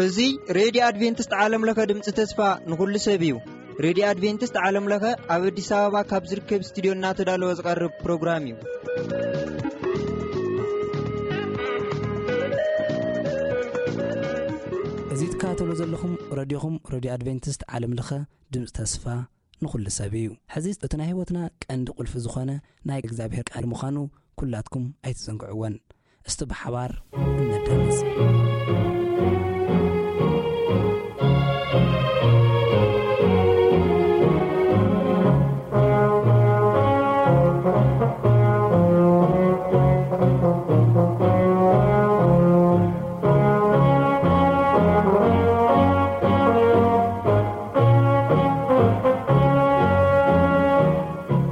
እዚ ሬድዮ ኣድቬንቲስት ዓለም ለኸ ድምፂ ተስፋ ንኹሉ ሰብ እዩ። ሬድዮ ኣድቬንቲስት ዓለም ለኸ ኣብ ኣዲስ ኣበባ ካብ ዝርከብ ስቱድዮ እናተዳለወ ዝቐርብ ፕሮግራም እዩ። እዚ ትከታተሉ ዘለኹም ሬድዮኹም ሬድዮ ኣድቬንቲስት ዓለም ለኸ ድምፂ ተስፋ ንኹሉ ሰብ እዩ። ሕዚ እቲ ናይ ህይወትና ቀንዲ ቁልፊ ዝኾነ ናይ እግዚኣብሔር ቃል ምዃኑ ኩላትኩም ኣይትዘንግዕዎን። እስቲ ብሓባር እነዳምፅ።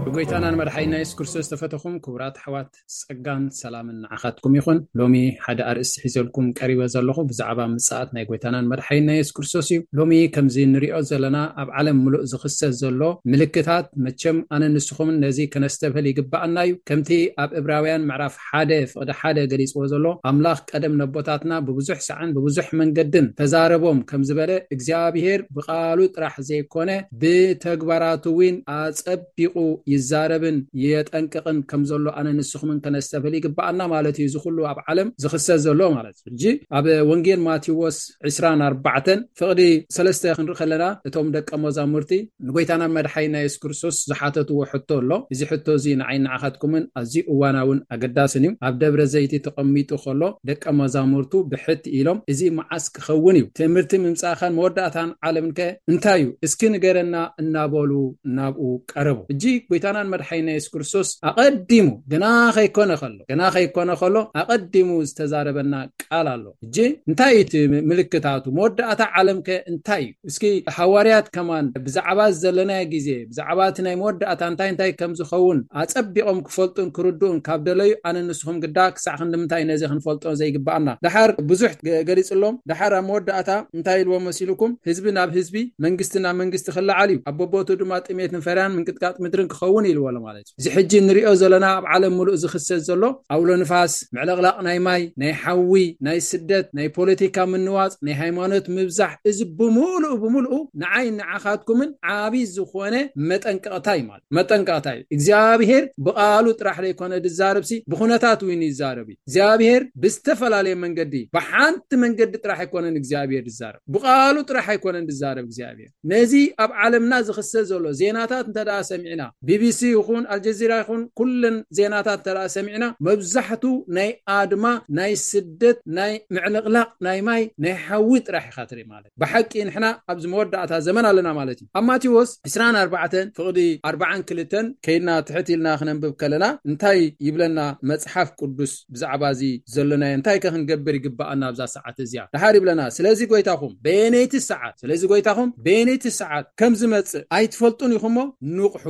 ብጎይታናን መድሓይና የሱስ ክርስቶስ ዝተፈተኹም ክቡራት ኣሕዋት፣ ጸጋን ሰላምን ንዓኻትኩም ይኹን። ሎሚ ሓደ ኣርእስቲ ሒዘልኩም ቀሪበ ዘለኹ ብዛዕባ ምጽኣት ናይ ጎይታናን መድሓይና የሱስ ክርስቶስ እዩ። ሎሚ ከምዚ ንሪኦ ዘለና ኣብ ዓለም ምሉእ ዝኽሰት ዘሎ ምልክታት፣ መቸም ኣነ ንስኹምን ነዚ ከነስተብህል ይግብኣና እዩ። ከምቲ ኣብ ዕብራውያን ምዕራፍ ሓደ ፍቕዲ ሓደ ገሊጽዎ ዘሎ፣ ኣምላኽ ቀደም ነቦታትና ብብዙሕ ሳዕን ብብዙሕ መንገድን ተዛረቦም ከም ዝበለ፣ እግዚኣብሔር ብቓሉ ጥራሕ ዘይኮነ ብተግባራቱ እውን ኣጸቢቑ ይዛረብን የጠንቅቕን ከም ዘሎ ኣነ ንስኹምን ከነስተብህል ይግብኣና ማለት እዩ። እዚ ኩሉ ኣብ ዓለም ዝኽሰት ዘሎ ማለት እዩ። ሕጂ ኣብ ወንጌል ማቴዎስ ዕስራን ኣርባዕተን ፍቕዲ ሰለስተ ክንርኢ ከለና፣ እቶም ደቀ መዛሙርቲ ንጎይታና መድሓይና የሱስ ክርስቶስ ዝሓተትዎ ሕቶ ኣሎ። እዚ ሕቶ እዚ ንዓይ ንዓኻትኩምን ኣዝዩ እዋናውን ኣገዳስን እዩ። ኣብ ደብረ ዘይቲ ተቐሚጡ ከሎ ደቀ መዛሙርቱ ብሕት ኢሎም፣ "እዚ መዓስ ክኸውን እዩ? ትእምርቲ ምምጻእኻን መወዳእታን ዓለምከ እንታይ እዩ? እስኪ ንገረና" እናበሉ ናብኡ ቀረቡ። ሕጂ ጎይታናን መድሓይና የሱስ ክርስቶስ ኣቐዲሙ፣ ገና ከይኮነ ከሎ፣ ገና ከይኮነ ከሎ ኣቐዲሙ ዝተዛረበና ቃል ኣሎ። ሕጂ እንታይ እዩ እቲ ምልክታቱ? መወዳእታ ዓለምከ እንታይ እዩ? እስኪ ሃዋርያት ከማን ብዛዕባ ዘለናዮ ግዜ፣ ብዛዕባ እቲ ናይ መወዳእታ እንታይ እንታይ ከም ዝኸውን ኣጸቢቖም ክፈልጡን ክርድኡን ካብ ደለዩ፣ ኣነ ንስኹም ግዳ ክሳዕ ክንድምንታይ ነዚ ክንፈልጦ ዘይግብኣና? ደሓር ብዙሕ ገ-፣ ገሊጽሎም፣ ደሓር ኣብ መወዳእታ እንታይ ኢልዎም መሲልኩም? ህዝቢ ናብ ህዝቢ፣ መንግስቲ ናብ መንግስቲ ክለዓል እዩ፣ ኣብ በቦቱ ድማ ጥሜትን ፈርያን ምንቅጥቃጥ ምድርን ክኸውን ኢልዎ ኣሎ ማለት እዩ። እዚ ሕጂ ንሪኦ ዘለና ኣብ ዓለም ምሉእ ዝኽሰት ዘሎ ኣውሎ ንፋስ፣ ምዕልቕላቕ ናይ ማይ፣ ናይ ሓዊ፣ ናይ ስደት፣ ናይ ፖለቲካ ምንዋጽ፣ ናይ ሃይማኖት ምብዛሕ፣ እዚ ብምሉኡ ብምሉኡ ንዓይ ንዓኻትኩምን ዓቢ ዝኾነ መጠንቀቕታ እዩ ማለት። መጠንቀቕታ እዩ። እግዚኣብሔር ብቓሉ ጥራሕ ዘይኮነ ዝዛረብሲ፣ ብኹነታት እውን ይዛረብ እዩ። እግዚኣብሔር ብዝተፈላለየ መንገዲ፣ ብሓንቲ መንገዲ ጥራሕ ኣይኮነን እግዚኣብሔር ዝዛረብ። ብቓሉ ጥራሕ ኣይኮነን ዝዛረብ እግዚኣብሔር። ነዚ ኣብ ዓለምና ዝኽሰት ዘሎ ዜናታት እንተ ደኣ ሰሚዕና፣ ቢ ቢ ሲ ይኹን ኣልጀዚራ ይኹን ኩለን ዜናታት እንተ ደኣ ሰሚዕና፣ መብዛሕቱ ናይ ኣድማ፣ ናይ ስደት፣ ናይ ምዕልቕላቕ፣ ናይ ማይ፣ ናይ ሓዊ ጥራሕ ኢኻ ትርኢ ማለት። ብሓቂ ንሕና ኣብዚ መወዳእታ ዘመን ኣለና ማለት እዩ። ኣብ ማቴዎስ ዕስራን ኣርባዕተን ፍቕዲ ኣርባዓን ክልተን ከይድና ትሕት ኢልና ክነንብብ ከለና እንታይ ይብለና መጽሓፍ ቅዱስ ብዛዕባ እዚ ዘሎናዮ? እንታይ ከ ክንገብር ይግብኣና ኣብዛ ሰዓት እዚኣ? ደሓር ይብለና፣ "ስለዚ ጎይታኹም በየነይቲ ሰዓት፣ ስለዚ ጎይታኹም በየነይቲ ሰዓት ከም ዝመጽእ ኣይትፈልጡን ኢኹሞ ንቕሑ።"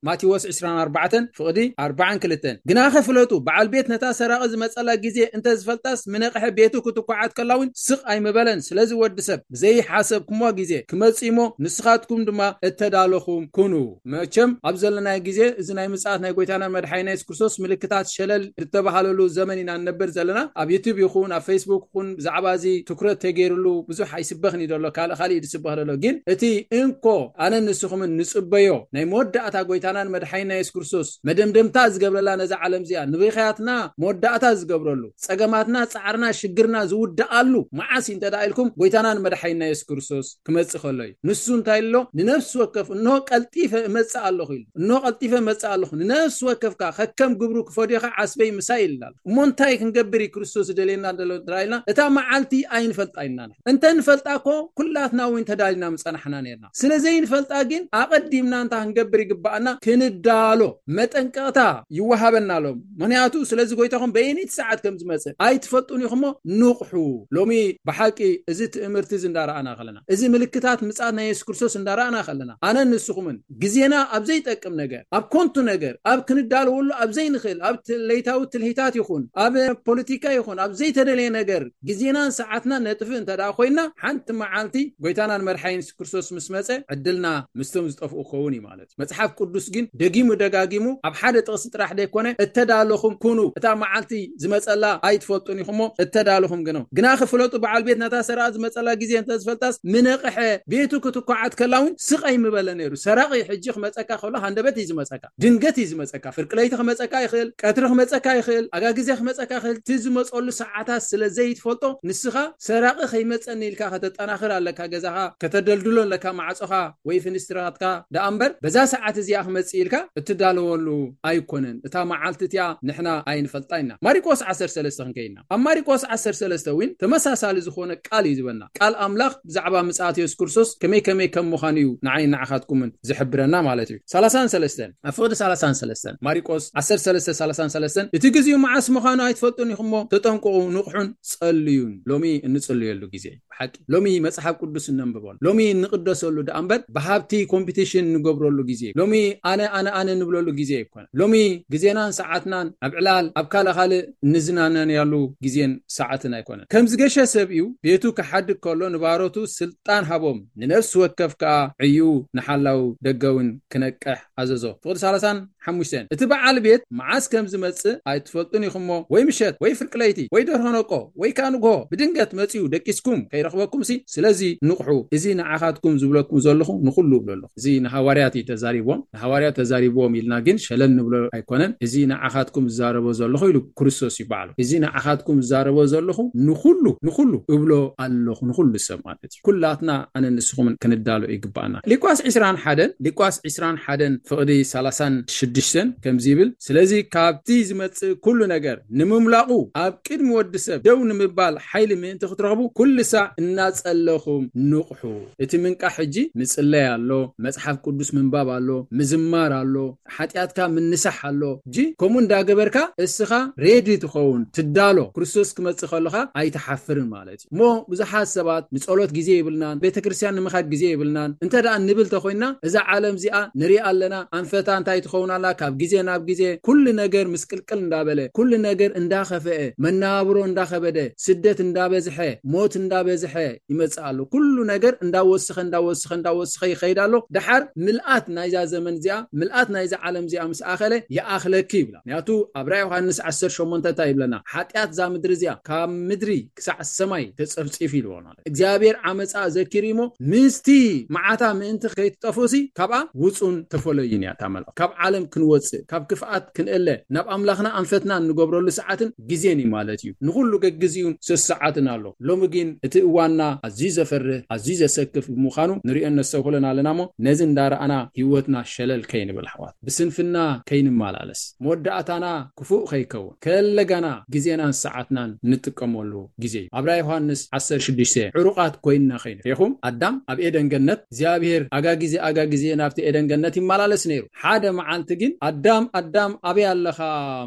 ማቴዎስ ዕስራን ኣርባዕተን ፍቕዲ ኣርባዓን ክልተን፣ "ግናኸ ፍለጡ፣ በዓል ቤት ነታ ሰራቒ ዝመጸላ ግዜ እንተ ዝፈልጣስ፣ ምነቕሐ ቤቱ ክትኳዓት ከላ እውን ስቕ ኣይምበለን። ስለዚ ወዲ ሰብ ብዘይሓሰብኩሞ ግዜ ክመጽእ እሞ፣ ንስኻትኩም ድማ እተዳለኹም ኩኑ።" መቸም ኣብ ዘለናዮ ግዜ እዚ ናይ ምጽኣት ናይ ጎይታና መድሓኒና የሱስ ክርስቶስ ምልክታት ሸለል ዝተባሃለሉ ዘመን ኢና ንነብር ዘለና። ኣብ ዩቱብ ይኹን ኣብ ፌስቡክ ይኹን ብዛዕባ እዚ ትኩረት ተገይርሉ ብዙሕ ኣይስበኽን እዩ ዘሎ፣ ካልእ ካልእ እዩ ዝስበኽ ዘሎ። ግን እቲ እንኮ ኣነን ንስኹምን ንጽበዮ ናይ መወዳእታ ጎይታናን መድሓኒና የሱስ ክርስቶስ መደምደምታ ዝገብረላ ነዛ ዓለም እዚኣ፣ ንብኽያትና መወዳእታ ዝገብረሉ፣ ጸገማትና፣ ጻዕርና፣ ሽግርና ዝውድኣሉ መዓስ እዩ እንተ ደኣ ኢልኩም፣ ጎይታናን መድሓኒና የሱስ ክርስቶስ ክመጽእ ከሎ እዩ። ንሱ እንታይ ኣሎ? ንነፍሲ ወከፍ፣ "እንሆ ቀልጢፈ እመጽእ ኣለኹ" ኢሉ። "እንሆ ቀልጢፈ እመጽእ ኣለኹ፣ ንነፍሲ ወከፍካ ከከም ግብሩ ክፈድዮኻ ዓስበይ ምሳይ" ኢልና ኣሎ። እሞ እንታይ ክንገብር እዩ ክርስቶስ ዝደልየና ዘሎ እንተ ኢልና፣ እታ መዓልቲ ኣይንፈልጣ ኢና ንሕና። እንተ ንፈልጣ እኮ ኩላትና እውን ተዳሊና ምጸናሕና ነርና። ስለ ዘይንፈልጣ ግን ኣቐዲምና እንታይ ክንገብር ይግብኣና? ክንዳሎ፣ መጠንቀቕታ ይወሃበና ኣሎ። ምኽንያቱ ስለዚ ጎይታኹም በየነይቲ ሰዓት ከም ዝመጽእ ኣይትፈልጡን ኢኹሞ ንቕሑ። ሎሚ ብሓቂ እዚ ትእምርቲ እዚ እንዳረኣና ከለና፣ እዚ ምልክታት ምጽኣት ናይ የሱስ ክርስቶስ እንዳረኣና ከለና፣ ኣነን ንስኹምን ግዜና ኣብ ዘይጠቅም ነገር፣ ኣብ ኮንቱ ነገር፣ ኣብ ክንዳለወሉ ኣብ ዘይንኽእል፣ ኣብ ት-፣ ለይታዊ ትልሂታት ይኹን፣ ኣብ ፖለቲካ ይኹን፣ ኣብ ዘይተደለየ ነገር ግዜናን ሰዓትና ነጥፍእ እንተ ደኣ ኮይና፣ ሓንቲ መዓልቲ ጎይታናን መድሓኒን የሱስ ክርስቶስ ምስ መጸ፣ ዕድልና ምስቶም ዝጠፍኡ ክኸውን እዩ ማለት እዩ። መጽሓፍ ቅዱስ ግን ደጊሙ ደጋጊሙ ኣብ ሓደ ጥቕሲ ጥራሕ ዘይኮነ፣ እተዳለኹም ኩኑ፣ እታ መዓልቲ ዝመጸላ ኣይትፈልጡን ኢኹሞ፣ እተዳለኹም ግነው። ግና ክፍለጡ በዓል ቤት ነታ ሰራቒ ዝመጸላ ግዜ እንተዝፈልጣስ ምነቕሐ፣ ቤቱ ክትኳዓት ከላ እውን ስቕ ኣይምበለ ነይሩ። ሰራቒ ሕጂ ክመጸካ ከሎ ሃንደበት እዩ ዝመጸካ፣ ድንገት እዩ ዝመጸካ። ፍርቂ ለይቲ ክመጸካ ይኽእል፣ ቀትሪ ክመጸካ ይኽእል፣ ኣጋ ግዜ ክመጸካ ይኽእል። እቲ ዝመጸሉ ሰዓታት ስለ ዘይትፈልጦ ንስኻ ሰራቒ ከይመጸኒ ኢልካ ከተጠናኽር ኣለካ፣ ገዛኻ ከተደልድሎ ኣለካ፣ ማዕጾኻ ወይ ፍንስትራትካ ደኣ እምበር በዛ ሰዓት እዚኣ ክመጽእ ኢልካ እትዳለወሉ ኣይኮነን። እታ መዓልቲ እቲኣ ንሕና ኣይንፈልጣ ኢና። ማሪቆስ ዓሰርተ ሰለስተ ክንከይድና፣ ኣብ ማሪቆስ ዓሰርተ ሰለስተ እውን ተመሳሳሊ ዝኾነ ቃል እዩ ዝበና። ቃል ኣምላኽ ብዛዕባ ምጽኣት የሱስ ክርስቶስ ከመይ ከመይ ከም ምዃኑ እዩ ንዓይ ንዓኻትኩምን ዝሕብረና ማለት እዩ። ሰላሳን ሰለስተን፣ ኣብ ፍቕዲ ሰላሳን ሰለስተን፣ ማሪቆስ ዓሰርተ ሰለስተ ሰላሳን ሰለስተን፣ እቲ ግዜኡ መዓስ ምዃኑ ኣይትፈልጡን ኢኹሞ፣ ተጠንቀቑ፣ ንቕሑን ጸልዩን። ሎሚ እንጽልየሉ ግዜ እዩ። ብሓቂ ሎሚ መጽሓፍ ቅዱስ እነንብበሉ፣ ሎሚ እንቕደሰሉ ደኣ እምበር ብሃብቲ ኮምፒቲሽን እንገብረሉ ግዜ። ሎሚ ኣነ ኣነ ኣነ እንብለሉ ግዜ ኣይኮነን። ሎሚ ግዜናን ሰዓትናን ኣብ ዕላል ኣብ ካልእ ካልእ እንዝናነያሉ ግዜን ሰዓትን ኣይኮነን። ከም ዝገሸ ሰብ እዩ ቤቱ ክሓድግ ከሎ ንባሮቱ ስልጣን ሃቦም፣ ንነፍሲ ወከፍ ከኣ ዕዩ ንሓላው ደገውን ክነቅሕ ኣዘዞ። ፍቕዲ ሰላሳን ሓሙሽተን፣ እቲ በዓል ቤት መዓስ ከም ዝመጽእ ኣይትፈልጡን ኢኹሞ፣ ወይ ምሸት ወይ ፍርቂ ለይቲ ወይ ደርሆ ነቆ ወይ ከኣ ንግሆ ብድንገት መጺኡ ደቂስኩም ከይረኽበኩምሲ፣ ስለዚ ንቕሑ፣ እዚ ንዓኻትኩም ዝብለኩም ዘለኹ ንኹሉ እብሎ ኣለኹ። እዚ ንሃዋርያት እዩ ተዛሪብዎም። ንሃዋርያት ተዛሪብዎም ኢልና ግን ሸለል ንብሎ ኣይኮነን። እዚ ንዓኻትኩም ዝዛረቦ ዘለኹ ኢሉ ክርስቶስ እዩ ባዕሉ። እዚ ንዓኻትኩም ዝዛረቦ ዘለኹ ንኹሉ፣ ንኹሉ እብሎ ኣለኹ፣ ንኹሉ ሰብ ማለት እዩ። ኩላትና ኣነ ንስኹምን ክንዳሎ ይግባኣና። ሉቃስ ዕስራን ሓደን፣ ሉቃስ ዕስራን ሓደን ፍቕዲ ሰላሳን ሽዱሽተን ከምዚ ይብል፣ ስለዚ ካብቲ ዝመጽእ ኩሉ ነገር ንምምላቑ ኣብ ቅድሚ ወዲ ሰብ ደው ንምባል ሓይሊ ምእንቲ ክትረኽቡ ኩሉ ሳዕ እናጸለኹም ንቕሑ። እቲ ምንቃሕ ሕጂ ምጽለይ ኣሎ፣ መጽሓፍ ቅዱስ ምንባብ ኣሎ፣ ምዝማር ኣሎ፣ ሓጢኣትካ ምንሳሕ ኣሎ። እጂ ከምኡ እንዳገበርካ እስኻ ሬዲ ትኸውን፣ ትዳሎ። ክርስቶስ ክመጽእ ከለኻ ኣይትሓፍርን ማለት እዩ። እሞ ብዙሓት ሰባት ንጸሎት ግዜ የብልናን፣ ቤተ ክርስቲያን ንምኻድ ግዜ የብልናን እንተ ደኣ ንብል ተኾይንና፣ እዛ ዓለም እዚኣ ንሪኣ ኣለና፣ ኣንፈታ እንታይ ትኸውን ኣላ፣ ካብ ግዜ ናብ ግዜ ኩሉ ነገር ምስቅልቅል እንዳበለ፣ ኩሉ ነገር እንዳኸፍአ፣ መነባብሮ እንዳኸበደ፣ ስደት እንዳበዝሐ፣ ሞት እንዳበዝሐ ይመጽእ ኣሎ። ኩሉ ነገር እንዳወስኸ፣ እንዳወስኸ፣ እንዳወስኸ ይኸይድ ኣሎ። ደሓር ምልኣት ናይዛ ዘመን እዚኣ፣ ምልኣት ናይዛ ዓለም እዚኣ ምስ ኣኸለ ይኣኽለኪ ይብላ። ምክንያቱ ኣብ ራእይ ዮሃንስ ዓሰርተ ሸሞንተ እንታይ ይብለና? ሓጢኣት እዛ ምድሪ እዚኣ ካብ ምድሪ ክሳዕ ሰማይ ተጸፍጺፍ ኢልዎ ማለት። እግዚኣብሔር ዓመጻ ዘኪሩ እሞ ምስቲ መዓታ ምእንቲ ከይትጠፍኡሲ ካብኣ ውጹን ተፈለዩን እያ እታ መልእኽቲ። ካብ ዓለም ክንወጽእ፣ ካብ ክፍኣት ክንእለ፣ ናብ ኣምላኽና ኣንፈትና እንገብረሉ ሰዓትን ግዜን እዩ ማለት እዩ። ንኹሉ ገግዚኡን ሰሰዓትን ኣሎ። ሎሚ ግን እቲ እዋንና ኣዝዩ ዘፈርህ፣ ኣዝዩ ዘሰክፍ ብምዃኑ ንሪኦን ነስተብህሎን ኣለና እሞ ነዚ እንዳረኣና ህይወትና ሸለል ከይንብል ኣሕዋት፣ ብስንፍና ከይንመላለስ፣ መወዳእታና ክፉእ ከይከውን፣ ከለጋና ግዜናን ሰዓትናን ንጥቀመሉ ግዜ እዩ። ኣብ ራእይ ዮሃንስ ዓሰርተ ሽዱሽተ ዕሩቓት ኮይንና ከይንሪኹም፣ ኣዳም ኣብ ኤደን ገነት እግዚኣብሔር ኣጋ ግዜ ኣጋ ግዜ ናብቲ ኤደን ገነት ይመላለስ ነይሩ። ሓደ መዓልቲ ግን ኣዳም ኣዳም ኣበይ ኣለኻ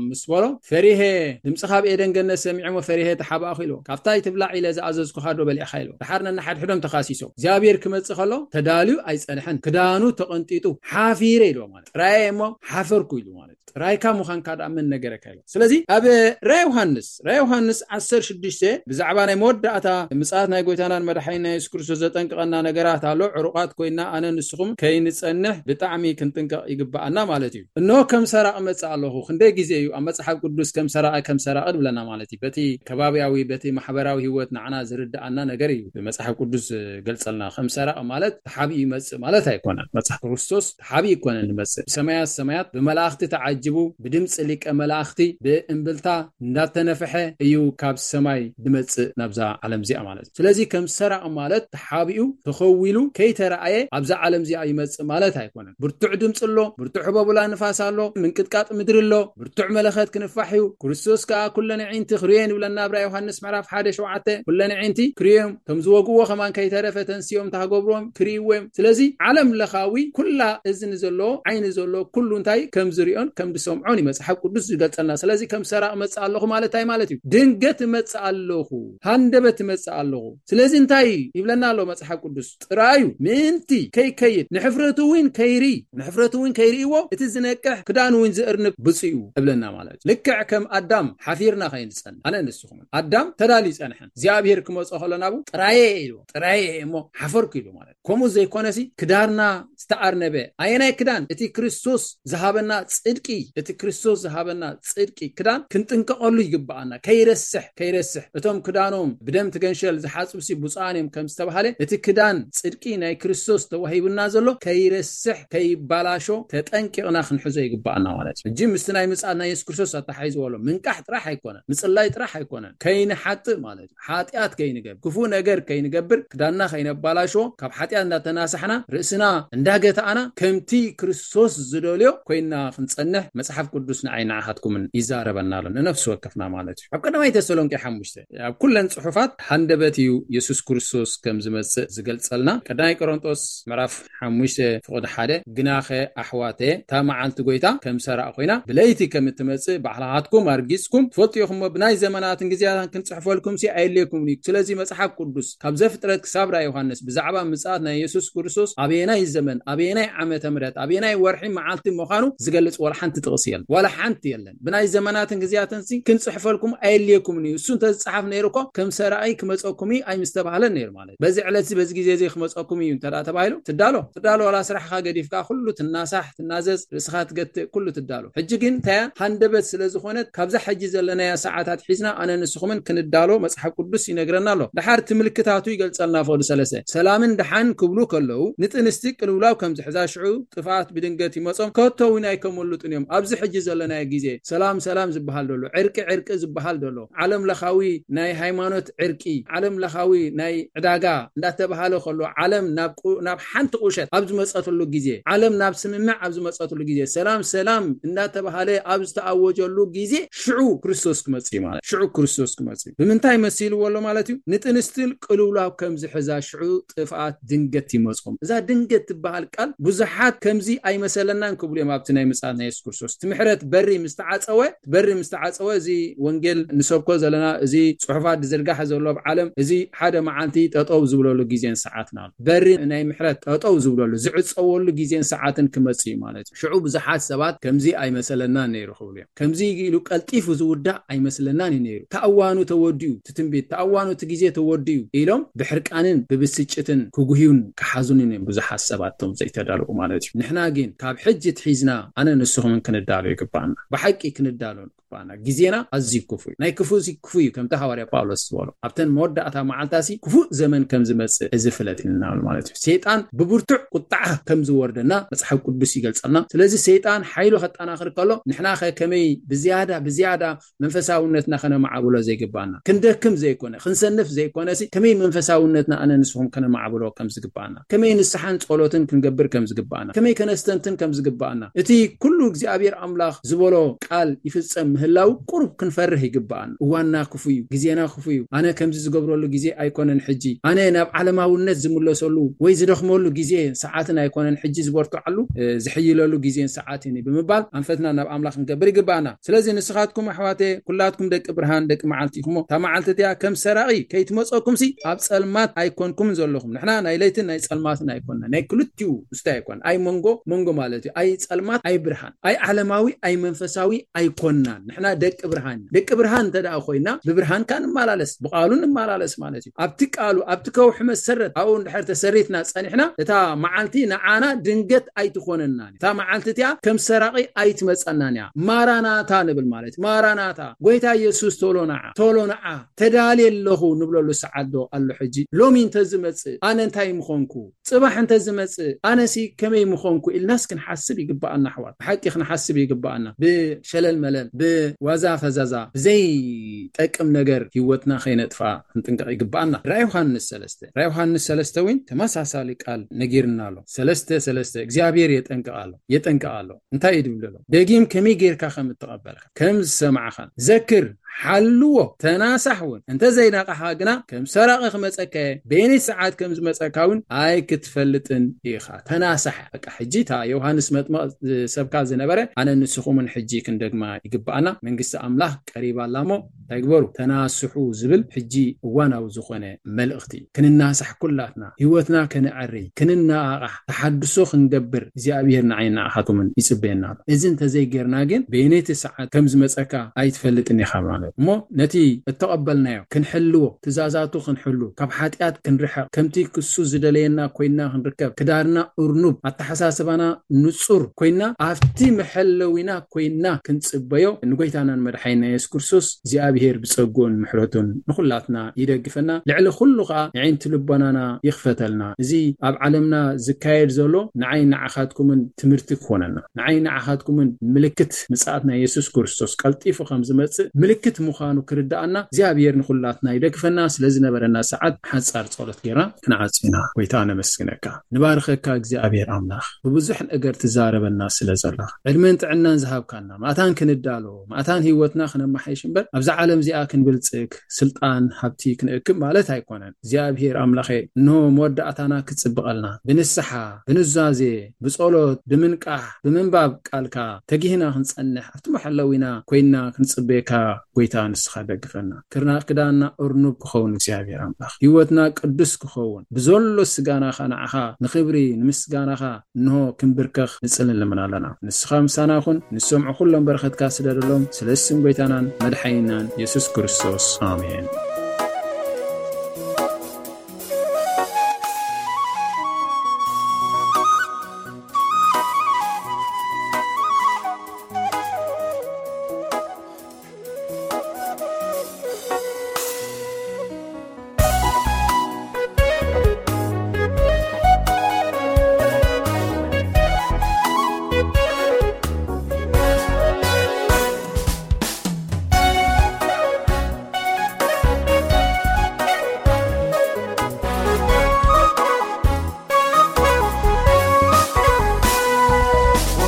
ምስ በሎ፣ ፈሪሄ ድምፅኻ ኣብ ኤደን ገነት ሰሚዐ እሞ ፈሪሄ ተሓባእኹ ኢልዎ። ካብታ ኣይትብላዕ ኢለ ዝኣዘዝኩኻ ዶ በሊዕኻ ኢልዎ። ደሓር ነንሓድሕዶም ተኻሲሶም። እግዚኣብሔር ክመፅእ ከሎ ተዳልዩ ኣይፀንሐን፣ ክዳኑ ተቐንጢጡ ሓፊረ ኢልዎ። ማለት ጥራየ እሞ ሓፈርኩ ኢሉ ማለት ጥራይካ ምዃንካ ደኣ መን ነገረካ ኢልዎ። ስለዚ ኣብ ራእይ ዮሃንስ ራእይ ዮሃንስ ዓሰርተ ሽዱሽተ ብዛዕባ ናይ መወዳእታ ምጽኣት ናይ ጎይታናን መድሓኒና የሱስ ክርስቶስ ዘጠንቅቐና ነገራት ኣሎ። ዕሩቓት ኮይና ኣነ ንስኹም ከይንጸንሕ ብጣዕሚ ክንጥንቀቕ ይግብኣና ማለት እዩ። እንሆ ከም ሰራቒ እመጽእ ኣለኹ። ክንደይ ግዜ እዩ ኣብ መጽሓፍ ቅዱስ ከም ሰራቒ ከም ሰራቒ ድብለና ማለት እዩ። በቲ ከባብያዊ በቲ ማሕበራዊ ህይወት ንዓና ዝርድኣና ነገር እዩ መጽሓፍ ቅዱስ ዝገልጸልና። ከም ሰራቒ ማለት ተሓቢኡ ይመጽእ ማለት ኣይኮነን። መጽሓፍ ክርስቶስ ተሓቢኡ ኣይኮነን ዝመጽእ። ብሰማያት ሰማያት ብመላእኽቲ ተዓጅቡ ብድምፂ ሊቀ መላእኽቲ ብእምብልታ እንዳተነፍሐ እዩ ካብ ሰማይ ድመጽእ ናብዛ ዓለም እዚኣ ማለት እዩ። ስለዚ ከም ሰራቒ ማለት ተሓቢኡ ተኸዊሉ ከይተረኣየ ኣብዛ ዓለም እዚኣ ይመጽእ ማለት ኣይኮነን። ብርቱዕ ድምፂ ኣሎ፣ ብርቱዕ ህቦብላ ንፋስ ኣሎ፣ ምንቅጥቃጥ ምድሪ ኣሎ፣ ብርቱዕ መለኸት ክንፋሕ እዩ። ክርስቶስ ከኣ ኩለን ኣዒንቲ ክርእየን ይብለና ኣብ ራእይ ዮሃንስ ምዕራፍ ሓደ ሸውዓተ። ኩለን ኣዒንቲ ክርእዮም፣ ከም ዝወግዎ ከማን ከይተረፈ ተንሲኦም ታክገብርዎም ክርእይዎ እዮም። ስለዚ ዓለም ለኻዊ ኩላ እዝኒ ዘሎ ዓይኒ ዘሎ ኩሉ እንታይ ከም ዝርእዮን ከም ዝሰምዖን እዩ መጽሓፍ ቅዱስ ዝገልጸልና። ስለዚ ከም ሰራቕ እመጽእ ኣለኹ ማለት እንታይ ማለት እዩ? ድንገት እመጽእ ኣለኹ፣ ሃንደበት እመጽእ ኣለኹ። ስለዚ እንታይ ይብለና ኣሎ መጽሓፍ ቅዱስ? ጥራዩ ምእንቲ ከይከይድ ንሕፍረቱ እውን ከይርኢ፣ ንሕፍረቱ እውን ከይርእይዎ እቲ ዝነቅሕ ክዳኑ እውን ዝእርንብ ብፁዕ እዩ እብለና ማለት እዩ። ልክዕ ከም ኣዳም ሓፊርና ከይንጸንሕ ኣነ ንስኹምን። ኣዳም ተዳልዩ ጸንሐን እግዚኣብሔር ክመጾ ከሎ ናብኡ ጥራየ ኢልዎ፣ ጥራየ እሞ ሓፈርኩ ኢሉ ማለት እዩ። ከምኡ ዘይኮነሲ ክዳርና ዝተኣርነበ ኣየናይ ክዳን? እቲ ክርስቶስ ዝሃበና ጽድቂ፣ እቲ ክርስቶስ ዝሃበና ጽድቂ ክዳን ክንጥንቀቐሉ ይግብኣና። ከይረስሕ፣ ከይረስሕ። እቶም ክዳኖም ብደም ትገንሸል ዝሓጽቡ ሲ ብፁዓን እዮም ከም ዝተባሃለ፣ እቲ ክዳን ጽድቂ ናይ ክርስቶስ ተዋሂቡና ዘሎ ከይረስሕ፣ ከይባላሾ ተጠንቂቕና ክንሕዞ ይግብኣና ማለት እዩ። ሕጂ ምስቲ ናይ ምጽኣት ናይ የሱስ ክርስቶስ ኣተሓሒዝዎ ኣሎ። ምንቃሕ ጥራሕ ኣይኮነን፣ ምጽላይ ጥራሕ ኣይኮነን፣ ከይንሓጥእ ማለት እዩ። ሓጢኣት ከይንገብር፣ ክፉእ ነገር ከይንገብር፣ ክዳንና ከይነባላሽዎ፣ ካብ ሓጢኣት እንዳተናሳሕና፣ ርእስና እንዳገታእና፣ ከምቲ ክርስቶስ ዝደልዮ ኮይና ክንጸንሕ መጽሓፍ ቅዱስ ንዓይ ንዓኻትኩምን ይዛረበና ኣሎ፣ ንነፍሲ ወከፍና ማለት እዩ። ኣብ ቀዳማይ ተሰሎንቄ ሓሙሽተ፣ ኣብ ኩለን ጽሑፋት ሃንደበት እዩ የሱስ ክርስቶስ ከም ዝመጽእ ዝገልጸልና። ቀዳማይ ቆሮንጦስ ምዕራፍ ሓሙሽተ ፍቕዲ ሓደ፣ ግናኸ ኣሕዋተ፣ እታ መዓልቲ ጎይታ ከም ሰራቕ ኮይና፣ ብለይቲ ከም እትመጽእ ባዕልኻትኩም ኣርጊጽኩም ትፈልጡ ኢኹም እሞ፣ ብናይ ዘመናትን ግዜያትን ክንጽሕፈልኩም ሲ ኣየድልየኩምን እዩ። ስለዚ መጽሓፍ ቅዱስ ካብ ዘፍጥረት ክሳብ ራእይ ዮሃንስ ብዛዕባ ምጽኣት ናይ የሱስ ክርስቶስ ኣበየናይ ዘመን፣ ኣበየናይ ዓመተ ምህረት፣ ኣበየናይ ወርሒ መዓልቲ ምዃኑ ዝገልጽ ዋላ ሓንቲ ጥቕሲ የለን። ዋላ ሓንቲ የለን። ብናይ ዘመናትን ግዜያትን ሲ ክንጽሕፈልኩም ኣየድልየኩምን እዩ። እሱ እንተዝጸሓፍ ነይሩ እኮ ከም ሰራቒ ክመጸኩም እዩ ኣይምስተባህለን ነይሩ ማለት። በዚ ዕለት እዚ በዚ ግዜ እዚ ክመጸኩም እዩ እንተ ደኣ ተባሂሉ ትዳሎ፣ ትዳሎ ዋላ ስራሕኻ ገዲፍካ ኩሉ ትናሳሕ፣ ትናዘዝ፣ ርእስኻ ትገትእ፣ ኩሉ ትዳሎ። ሕጂ ግን እንታይ እያ? ሃንደበት ስለ ዝኾነት ካብዛ ሕጂ ዘለናያ ሰዓታት ሒዝና ኣነ ንስኹምን ክንዳሎ መጽሓፍ ቅዱስ ይነግረና ኣሎ። ደሓር እቲ ምልክታቱ ይገልጸልና። ፍቕዲ ሰለስተ፣ ሰላምን ደሓን ክብሉ ከለዉ ንጥንስቲ ቅልውላው ከም ዝሕዛ ሽዑ ጥፍኣት ብድንገት ይመጾም ከቶ እውን ኣይከመልጡን እዮም። ኣብዚ ሕጂ ዘለናዮ ግዜ ሰላም ሰላም ዝበሃል ደሎ፣ ዕርቂ ዕርቂ ዝበሃል ደሎ፣ ዓለም ለኻዊ ናይ ሃይማኖት ዕርቂ፣ ዓለም ለኻዊ ናይ ዕዳጋ እንዳተባሃለ ከሎ፣ ዓለም ናብ ቁ-፣ ናብ ሓንቲ ቁሸት ኣብ ዝመጸትሉ ግዜ፣ ዓለም ናብ ስምምዕ ኣብ ዝመጸትሉ ግዜ፣ ሰላም ሰላም እንዳተባሃለ ኣብ ዝተኣወጀሉ ግዜ ሽዑ ክርስቶስ ክመጽእ እዩ ማለት። ሽዑ ክርስቶስ ክመጽእ እዩ። ብምንታይ መሲልዎ ኣሎ ማለት እዩ? ንጥንስቲ ቅልውላው ከም ዝሕዛ ሽዑ ጥፍኣት ድንገት ይመጾም። እዛ ድንገት ትበሃል ቃል ብዙሓት ከምዚ ኣይመሰለናን ክብሉ እዮም ኣብቲ ናይ ምጽኣት ናይ የሱስ ክርስቶስ። እቲ ምሕረት በሪ ምስ ተዓጸወ፣ በሪ ምስ ተዓጸወ፣ እዚ ወንጌል ንሰብኮ ዘለና፣ እዚ ጽሑፋት ዝዝርጋሕ ዘሎ ኣብ ዓለም፣ እዚ ሓደ መዓልቲ ጠጠው ዝብለሉ ግዜን ሰዓትን ኣሎ። በሪ ናይ ምሕረት ጠጠው ዝብለሉ፣ ዝዕጸወሉ ግዜን ሰዓትን ክመጽእ እዩ ማለት እዩ። ሽዑ ብዙሓት ሰባት ከምዚ ኣይመሰለናን ነይሩ ክብሉ እዮም። ከምዚ ኢሉ ቀልጢፉ ዝውዳእ ኣይመስለናን እዩ ነይሩ። ተኣዋኑ ተወዲኡ፣ እቲ ትንቢት ተኣዋኑ፣ እቲ ግዜ ተወዲኡ ኢሎም ብሕርቃንን ብብስጭትን ክጉህዩን ክሓዙንን እዮም ብዙሓት ሰባት እቶም ዘይተዳለዉ ማለት እዩ። ንሕና ግን ካብ ሕጂ ትሒዝና ኣነ ንስኹምን ክንዳሎ ይግባኣና። ብሓቂ ክንዳሎ ይግባኣና። ግዜና ኣዝዩ ክፉእ እዩ። ናይ ክፉእ ሲ ክፉእ እዩ፣ ከምቲ ሃዋርያ ጳውሎስ ዝበሎ ኣብተን መወዳእታ መዓልታሲ ክፉእ ዘመን ከም ዝመጽእ እዚ ፍለጥ ኢልና ማለት እዩ። ሰይጣን ብብርቱዕ ቁጣዓ ከም ዝወርደና መጽሓፍ ቅዱስ ይገልጸልና። ስለዚ ሰይጣን ሓይሉ ከጠናኽር ከሎ ንሕና ከ ከመይ ብዝያዳ ብዝያዳ መንፈሳውነትና ከነማዕብሎ ዘይግባኣና? ክንደክም ዘይኮነ፣ ክንሰንፍ ዘይኮነ ሲ ከመይ መንፈሳውነትና ኣነ ንስኹም ከነማዕብሎ ከም ዝግባኣና? ከመይ ንስሓን ጸሎትን ክንገብር ከም ዝግባኣና? ከመይ ከነስተንትን ከም ዝግባኣና? እቲ ኩሉ እግዚኣብሔር ኣምላኽ ዝበሎ ቃል ይፍጸም ምህላው ቁሩብ ክንፈርህ ይግባኣና። እዋንና ክፉ እዩ፣ ግዜና ክፉ እዩ። ኣነ ከምዚ ዝገብረሉ ግዜ ኣይኮነን ሕጂ። ኣነ ናብ ዓለማውነት ዝምለሰሉ ወይ ዝደኽመሉ ግዜ ሰዓትን ኣይኮነን ሕጂ፣ ዝበርትዓሉ፣ እ፣ ዝሕይለሉ ግዜን ሰዓትን እዩ ብምባል ኣንፈትና ናብ ኣምላኽ ክንገብር ይግባኣና። ስለዚ ንስኻትኩም ኣሕዋተ፣ ኩላትኩም ደቂ ብርሃን፣ ደቂ መዓልቲ ኢኹም። እታ መዓልቲ እቲኣ ከም ሰራቒ ከይትመጸኩም ሲ ኣብ ጸልማት ኣይኮንኩም ዘለኹም። ንሕና ናይ ለይትን ናይ ጸልማትን ኣይኮንና፣ ናይ ክልቲኡ ውስተ ኣይኮን፣ ኣይ መንጎ መንጎ ማለት እዩ። ኣይ ጸልማት ኣይ ብርሃን፣ ኣይ ዓለማዊ ኣይ መንፈሳዊ ኣይኮንናን። ንሕና ደቂ ብርሃን ኢና። ደቂ ብርሃን እንተ ደኣ ኮይና ብብርሃን ከኣ ንመላለስ፣ ብቃሉ ንመላለስ ማለት እዩ። ኣብቲ ቃሉ ኣብቲ ከውሒ መሰረት ኣብኡ እንድሕር ተሰሪትና ጸኒሕና እታ መዓልቲ ንዓና ድንገት ኣይትኾነናን። እታ መዓልቲ እቲኣ ከም ሰራቒ ኣይትመጸናን እያ። ማራናታ ንብል ማለት እዩ። ማራናታ፣ ጎይታ ኢየሱስ ቶሎ ንዓ፣ ቶሎ ንዓ፣ ተዳልየ ኣለኹ ንብለሉ ሰዓት ዶ ኣሎ ሕጂ? ሎሚ እንተዝመጽእ ኣነ እንታይ ምኾንኩ? ጽባሕ እንተዝመጽእ ኣነሲ ከመይ ምኾንኩ ኢልናስ ክንሓስብ ይግባኣና ኣሕዋት። ብሓቂ ክንሓስብ ይግባኣና። ብሸለል መለል፣ ብዋዛ ፈዛዛ፣ ብዘይጠቅም ነገር ህይወትና ከይነጥፍኣ ክንጥንቀቕ ይግባኣና። ራእይ ዮሃንስ ሰለስተ፣ ራእይ ዮሃንስ ሰለስተ እውን ተመሳሳሊ ቃል ነጊርና ኣሎ። ሰለስተ ሰለስተ እግዚኣብሔር የጠንቅቕ ኣሎ፣ የጠንቅቕ ኣሎ። እንታይ እዩ ድብል ዘሎ? ደጊም ከመይ ጌርካ ከም እትቐበልካ፣ ከም ዝሰማዕኻን ዘክር፣ ሓልዎ፣ ተናሳሕ እውን። እንተ ዘይነቓሕኻ ግና ከም ሰራቒ ክመጸካ እየ፣ በየነይቲ ሰዓት ከም ዝመጸካ እውን ኣይክትፈልጥን ኢኻ። ተናሳሕ። በቃ ሕጂ እታ ዮሃንስ መጥምቕ ዝሰብካ ዝነበረ ኣነ ንስኹምን ሕጂ ክንደግማ ይግብኣና። መንግስቲ ኣምላኽ ቀሪባ ኣላ እሞ እንታይ ግበሩ? ተናስሑ ዝብል ሕጂ እዋናዊ ዝኾነ መልእኽቲ እዩ። ክንናሳሕ ኩላትና፣ ህይወትና ከነዐሪ፣ ክንነቓቓሕ፣ ተሓድሶ ክንገብር እግዚኣብሔር ንዓይ ንዓኻትምን ይጽበየና ኣሎ። እዚ እንተዘይጌርና ግን በየነይቲ ሰዓት ከም ዝመጸካ ኣይትፈልጥን ኢኻ ማለት። እሞ ነቲ እተቐበልናዮ ክንሕልዎ፣ ትእዛዛቱ ክንሕሉ፣ ካብ ሓጢኣት ክንርሕቕ፣ ከምቲ ክሱ ዝደለየና ኮይና ክንርከብ፣ ክዳርና እርኑብ፣ ኣተሓሳስባና ንጹር ኮይና፣ ኣብቲ መሐለዊና ኮይና ክንጽበዮ፣ ንጎይታናን መድሓይና የሱስ ክርስቶስ እግዚኣብሔር ብጸግኡን ምሕረቱን ንኹላትና ይደግፈና። ልዕሊ ኩሉ ኸኣ የዒንቲ ልቦናና ይኽፈተልና። እዚ ኣብ ዓለምና ዝካየድ ዘሎ ንዓይ ንዓኻትኩምን ትምህርቲ ክኾነና፣ ንዓይ ንዓኻትኩምን ምልክት ምጽኣት ናይ የሱስ ክርስቶስ ቀልጢፉ ከም ዝመጽእ ምልክት ምዃኑ ክርድኣና እግዚኣብሔር ንኹላትና ይደግፈና። ስለ ዝነበረና ሰዓት ሓጻር ጸሎት ጌርና ክንዓጽ ኢና። ጎይታ ነመስግነካ፣ ንባርኸካ እግዚኣብሔር ኣምላኽ። ብብዙሕ ነገር ትዛረበና ስለ ዘለኻ፣ ዕድመን ጥዕናን ዝሃብካና፣ ማእታን ክንዳሎ፣ ማእታን ህይወትና ክነመሓይሽ እምበር ኣብዛ ዓለም እዚኣ ክንብልጽግ፣ ስልጣን ሃብቲ ክንእክብ ማለት ኣይኮነን። እግዚኣብሔር ኣምላኸ፣ እንሆ መወዳእታና ክጽብቐልና፣ ብንስሓ፣ ብኑዛዜ፣ ብጸሎት፣ ብምንቃሕ፣ ብምንባብ ቃልካ ተጊህና ክንጸንሕ፣ ኣብቲ መሐለዊና ኮይና ክንጽበየካ ጎይታ ንስኻ ደግፈና። ክርና ክዳንና እርኑብ ክኸውን እግዚኣብሔር ኣምላኽ፣ ህይወትና ቅዱስ ክኸውን፣ ብዘሎ ስጋናኻ ንዓኻ ንኽብሪ ንምስጋናኻ እንሆ ክንብርከኽ ንጽልን ልምን ኣለና። ንስኻ ምሳና ኩን፣ ንሰምዑ ኩሎም በረኸትካ ስደደሎም፣ ስለ ስም ጎይታናን መድሓኒናን የሱስ ክርስቶስ። ኣሜን።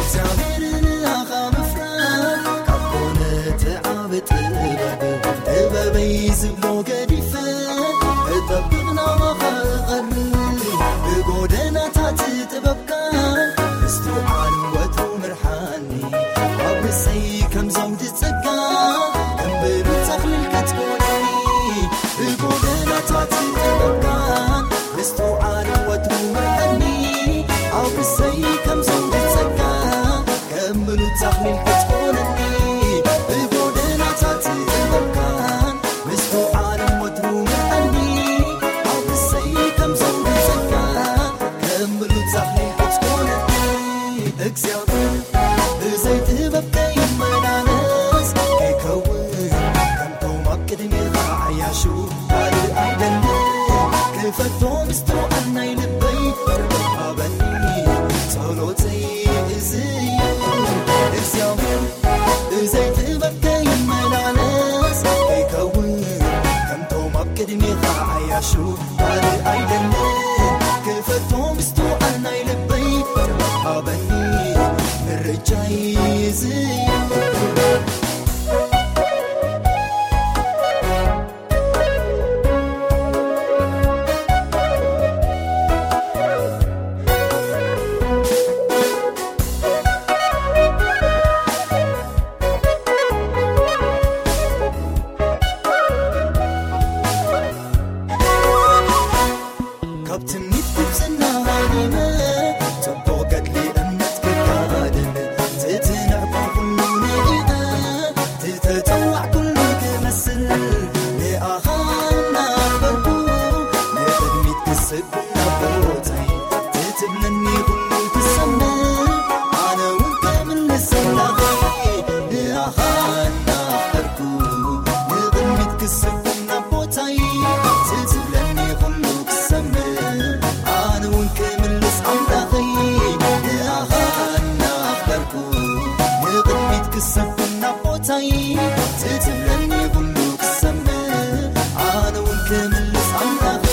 እግዚኣብሔር ንኣኻ ምፍራድ ካብ ኮነ እቲ ዓቢ ጥበብ፣ ጥበበይ ዝብሎ ገዲፈ፣ እጠብቕ ናባኻ እቐርብ። ብጎደናታት ጥበብካ ምስትውዓል ወትሩ ምርሓኒ። ኣብ ርእሰይ ከም ዘውዲ ጸጋ፣ ከም ብሩር ተኽሊል ክትኮነኒ። ብጎደናታት ጥበብካ ምስትውዓል ወትሩ ምርሓኒ። ኣብ ርእሰይ ከም ዘውዲ ጸጋ፣ ከም ብሩር ተኽሊል ክትኮነኒ። ብጎደናታት ጥበብካ ምስትውዓል ወትሩ ምርሓኒ። ኣብ ርእሰይ ከም ዘውዲ ጸጋ፣ ከም ብሉጽ ዛፍ ክትኮነኒ። እግዚኣብሔር ብዘይ ጥበብ ከይመላለስ፣ ከይከውን ከምቶም ኣብ ቅድሜኻ ዓያሹ ካልእ ኣይደልን። ክፈቶ ምስትውዓል ናይ ልበይ ጥበብ ሃበኒ። ጸሎተይ እዚ እዩ። እግዚኣብሔር ብዘይ ጥበብ ከይመላለስ፣ ከይከውን ከምቶም ኣብ ቅድሜኻ ዓያሹ ካልእ ኣይደልን። ክፈቶ ምስትውዓል ናይ ልበይ ጥበብ ሃበኒ። ምርጫይ እዚ እዩ። ካብ ትምኒት ግብጽና ሃሪመ፣ ጽቡቕ ገድሊ እምነት ክጋድል፣ ትትንዕቆ ኩሉ ንኢቐ፣ ትተጸዋዕ ኩሉ ክመስል፣ ንኣኻ እናኽበርኩ፣ ንቕድሚት ክስብ ናቦተይ፣ ትትብለኒ ኩሉ ክሰምዕ፣ ኣነ እውን ክምልስ ኣምላኸይ፣ ንኣኻ እናኽበርኩ፣ ንቕድሚት ክስብ ናቦተይ፣ ትትብለኒ ኩሉ ክሰምዕ፣ ኣነ እውን ክምልስ ኣምላኸይ፣ ንኣኻ እናኽበርኩ፣ ንቕድሚት ክስብ ናቦተይ፣ ትትብለኒ ኩሉ ክሰምዕ፣ ኣነ እውን ክምልስ ኣምላኸይ።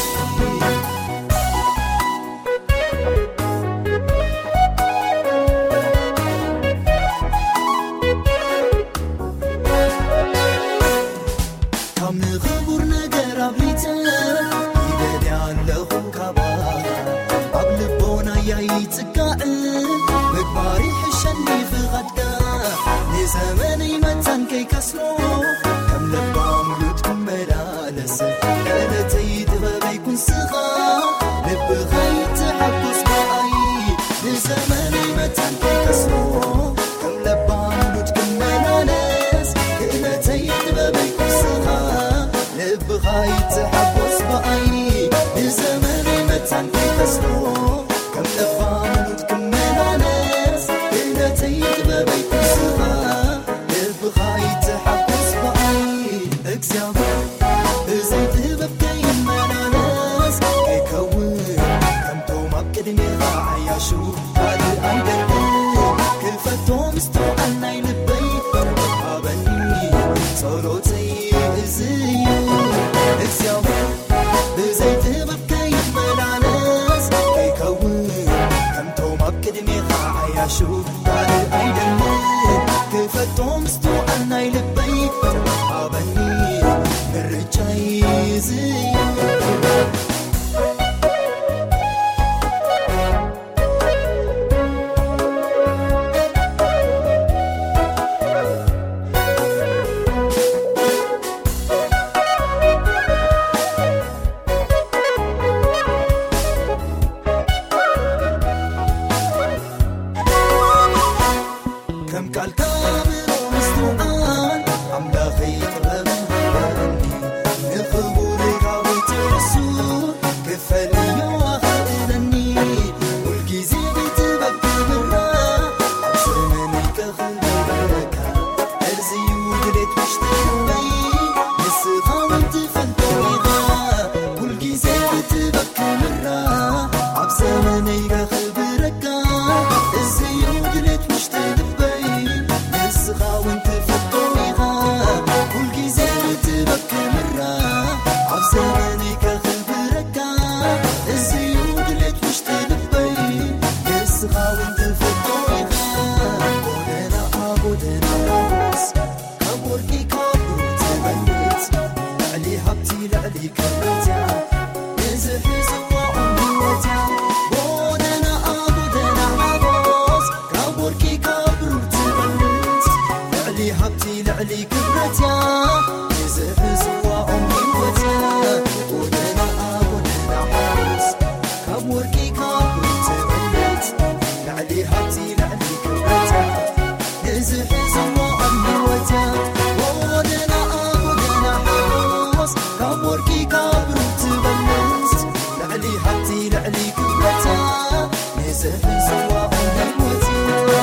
ካብ ንኽቡር ነገር ኣብሊጸ ይደልያ ኣለኹ ካባኻ። ኣብ ልቦናያ ይጽጋዕ ምግባር ይሕሸኒ ፍቓድካ። ንዘመነይ መታን ከይከስሮ ጥበበይ ተስፋ ልብኻ ይተሓጎስ ብዓይ እግዚኣብሔር ብዘይ ጥበብ ከይመላለስ ከይከውን ከምቶም ኣብ ቅድሜኻ ዓያሹ ካልእ ኣይደልን ክፈቶ ምስትውዓል ናይ ልበይ ሃበኒ ጸሎተይ እዚ እዩ እግዚኣብሔር ብዘይ ጥበብ ከይመላለስ ከይከውን ከምቶም ኣብ ቅድሜኻ ዓያሹ ካልእ ኣይደልን ክፈቶ ምስትውዓል ናይ ልበይ ሃበኒ ምርጫይ እዚ እዩ ከም ቃልካ ኣእምሮ ምስትውዓል ኣምላኸይ ጥበብ ሃበኒ ንኽቡር ካብ ትሕሱ ክፈልዮ ኣኽእለኒ ኩልግዜ ብጥበብ ክብራ ኣብ ዘመነይ ከኽብረካ እዚዩ ድሌት ውሽጠይ ንስኻ እውን ትፈልጦ ኢኻ ኩልግዜ ብጥበብ ክብራ ኣብ ዘመነይ ከኽብረካ እዚዩ ድሌት ውሽጢ ልበይ ንስኻ እውን ትፈልጦ ኢኻ ኩልግዜ ብጥበብ ክብራ ኣብ ዘመነይ ከኽብረካ እዚዩ ድሌት ውሽጢ ልበይ ንስኻ እውን ትፈልጦ ኢኻ ጎደና ጎደና ሮስ ካብ ወርቂ ካብ ብሩር ትበልጽ ልዕሊ ሃብቲ ልዕሊ ክብረት እያ ንዝሕዝዋ ኦም ህይወት እያ ጎደና ጎደና ሓጎስ ካብ ወርቂ ካብ ብሩር ትበልጽ ልዕሊ ሃብቲ ልዕሊ ክብረት እያ ንዝሕዝዋ ኦም ህይወት እያ ጎደና ጎደና ሓጎስ ካብ ወርቂ ካብ ብሩር ትበልጽ ልዕሊ ሃብቲ ልዕሊ ክብረት እያ ንዝሕዝዋ ኦም ህይወት እያ ጎደና ጎደና ሓጎስ ካብ ወርቂ ካብ ብሩር ትበልጽ ልዕሊ ሃብቲ ልዕሊ ክብረት እያ ንዝሕዝዋ ኦም ህይወት እያ